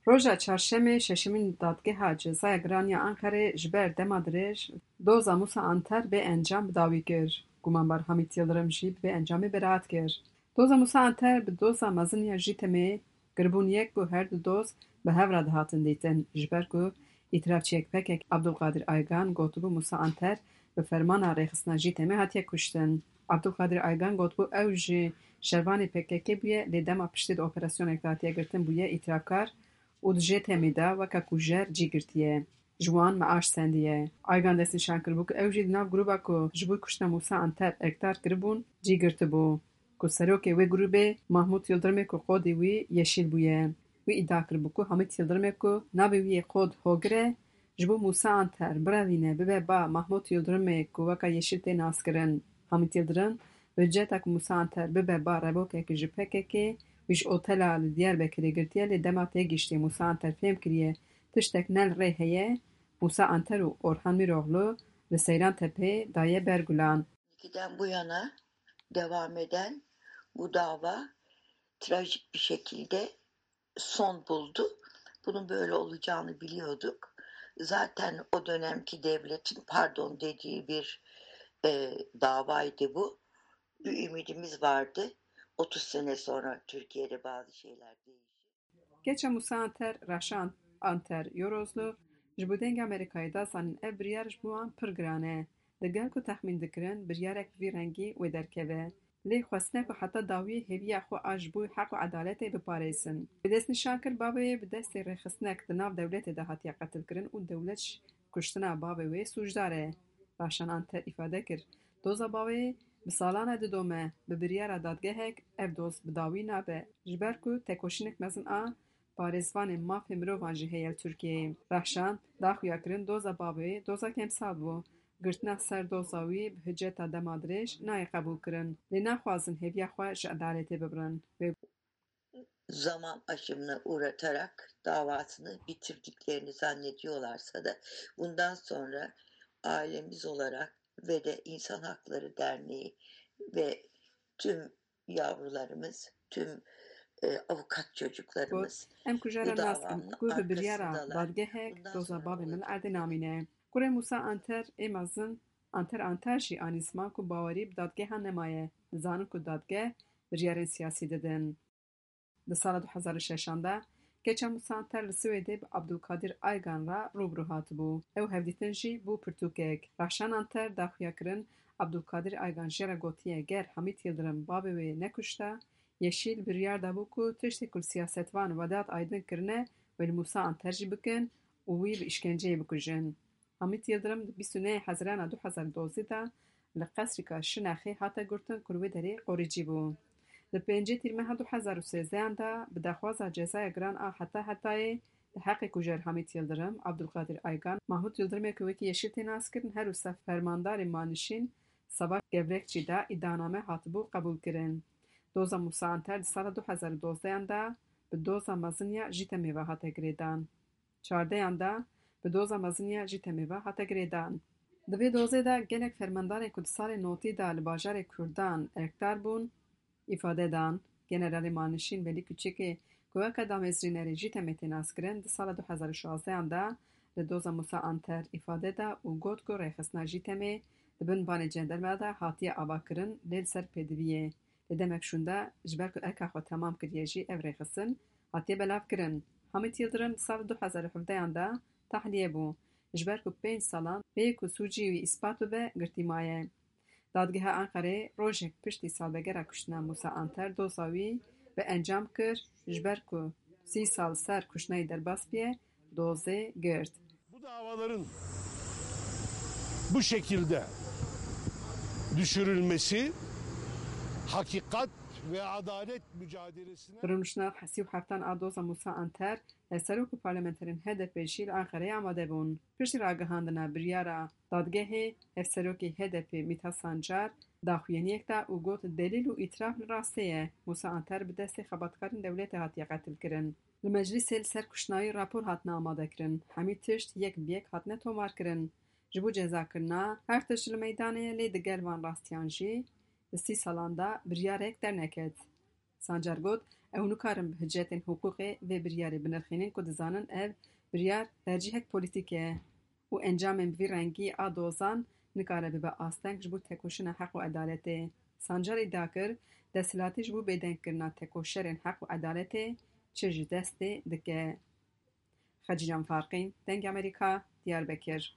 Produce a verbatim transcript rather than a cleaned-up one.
Roja çarşemê şeşemîn Dadgeha Cezaya Giran ya Anqerê ji ber dema dirêj doza Musa Anter bê encam bi dawî kir. Gumanbar Hamît Yildirim jî bi vê encamê beraat kir. Doza Musa Anter bi doza mezin ya Jîtemê kiribûn yek ku her du doz bi hev re dihatin dîtin, ji ber ku îtirafçiyek P K K Abdulkadir Aygan gotibû Musa Anter bi fermana rêxistina Jîtemê hatiye kuştin. Abdulkadir Aygan gotibû ew ji şervanê P K K bûye, lê dema piştî di operasyonek de hatiye girtin bûye îtirafkar û di Jîtemê de weke kujer cî girtiye. Ji wan meaş sendiye. Aygan destnîşan kiribû ku ew jî di nav grûba ku ji bo kuştina Musa Anter erkdar kiribûn cî girtibû, ku serokê wê grûbê Mahmût Yildirimê ku qodê wî yeşîl bûye. Wî îdia kiribû ku Hamît Yildirimê ku navê wî yê qod Hogir e, ji bo Musa Anter birevîne bibe ba Mahmût Yildirimê ku weka yeşîl tê naskirin. Hamît Yildirim bi hiceta ku Musa Anter bibe ba revokekî ji P K K, wî ji otela li Diyarbekirê girtiye, lê dema têgihiştê Musa Anter fêm kiriye tiştek ne li rê heye, Musa Anter û Orhan Mîroğlu li Seyran Tepê daye ber gulan. Giden bu yana devam eden bu dava trajik bir şekilde son buldu. Bunun böyle olacağını biliyorduk. Zaten o dönemki devletin pardon dediği bir e, davaydı bu. Bir ümidimiz vardı. Otuz sene sonra Türkiye'de bazı şeyler değişir. Keça Musa Anter, Rehşan Anter Yorozlu, ji bo Dengê Amerîkayê da zanîn ev biryar ji bo wan pir giran e. Digel ku texmîn dikirin biryarek bi vî rengî wê derkeve. Lê xwestine ku heta dawiyê hêviya xwe a ji bo heq û edaletê biparêzin. Wê destnîşan kir bavê wê bi destê rêxistinek di nav dewletê de hatiye qetilkirin û dewlet ji kuştina bavê wê sûcdar e. Rehşan Anter îfade kir, doza bavê wê bi salan e didome, bi biryara dadgehek ev doz bi dawî nabe, ji ber ku tekoşînek mezin a parêzvanên mafê mirovan jî heye li Tirkiyeyê. Rehşan da xuya kirin doza bavê wê dozek emsal bû. Girtina ser doza wî bi hiceta dema dirêj nayê qebûlkirin. Lê naxwazin hêviya xwe ji edaletê bibirin. Wê zaman aşımına uğratarak davasını bitirdiklerini zannediyorlarsa da bundan sonra ailemiz olarak ve de İnsan Hakları Derneği ve tüm yavrularımız, tüm e, avukat çocuklarımız Em kujara nas in ku bi biryara dadgehek doza bavê min erdê namîne. Kurê Musa Anter ê mezin Anter Anter jî anî ziman ku bawerî bi dadgehan nemaye. Dizanin ku dadgeh biryarên siyasî didin. Di sala du hezar û şeşan de keça Musa Anter li Swêdê bi Abdulkadir Aygan re rû bi rû hatibû. Ew hevdîtin jî bû pirtûkek. Rehşan Anter da xuya kirin Abdulkadir Aygan jê re gotiye ger Hamît Yildirim bavê wê nekuşta, Yeşîl biryar dabû ku tiştê ku li siyasetvan Vedat Aydin kirine wê li Musa Anter jî bikin û wî bi îşkenceyê bikujin. Hamît Yildirim di bîst û nehê Hezirana du hezar û dozdeh de li qesrîka Şinexê hate girtin ku li wê derê qorîcî bû. Di pêncê Tîrmeha du hezar û sêzdehan de bi daxwaza cezaya giran a heta hetayê di heqê kujer Hamît Yildirim, Abdulkadir Aygan, Mahmut Yildirimê ku wekî Yeşîl tê naskirin, her wisa fermandarê Manişîn Savaş Gevrekçî de îdianame hatibû qebûlkirin. Doza Musa Anter di sala du hezar û dozdehan de bi doza mezin ya Jîtemê ve hate girêdan. Çardehan de bi doza mezin ya Jîtemê ve hate girêdan. Di vê dozê de gelek fermandarên ku di salên notî de li bajarê Kurdan erkdar bûn, îfade dan. Generalê Manişîn Velî Kuçikê ku weke damezrînerê Jîtemê tê naskirin, di sala du hezar û şazdehan de li doza Musa Anter îfade da û got ku rêxistina Jîtemê di bin banê cenderme de hatiye avakirin, lê li ser pêdiviyê. Lê demek şûnde ji ber ku erka xwe temam kiriye jî ev rêxistin hatiye belavkirin. Hamît Yildirim di sala du hezar û hevdehan de tahliye bû. Ji ber ku pênc salan bê ku sûcî wî îspat bibe girtî maye. Dadgeha Enqerê rojek piştî salvegera kuştina Musa Anter doza wî bi encam kir, ji ber ku sî sal ser kuştina wî derbas biye, dozê girt. Bu davaların bu şekilde düşürülmesi hakikat ve adalet mücadelesine Bi rûniştina sî û heftan a doza Musa Anter, hevserok û parlamenterên H D P jî li Enqereyê amade bûn. Piştî ragihandina biryara dadgehê, hevserokê H D P Mithat Sancar daxuyaniyek da û got, delîl û îtiraf li rastê ye, Musa Anter bi destê xebatkarên dewletê hatiye qetilkirin. Li meclîsê li ser kuştina wî rapor hatine amadekirin. Hemî tişt yek bi yek hatine tomarkirin. Ji bo cezakirina her tişt li meydanê ye, lê digel van rastiyan jî di sî salan de biryarek derneket. Sancar got, Ew nikarin bi hicetên hiqûqê vê biryarê binirxînin ku dizanin ev biryar tercîhek polîtîk e û encamên bi vî rengî a dozan nikare bibe asteng ji bo tekoşîna heq û edaletê. Sancarî dakir, desthilatî ji bo bêdengkirina tekoşerên heq û edaletê çi ji destê dike. Xecîlan Farqîn, Dengê Amerîka, Diyarbekir.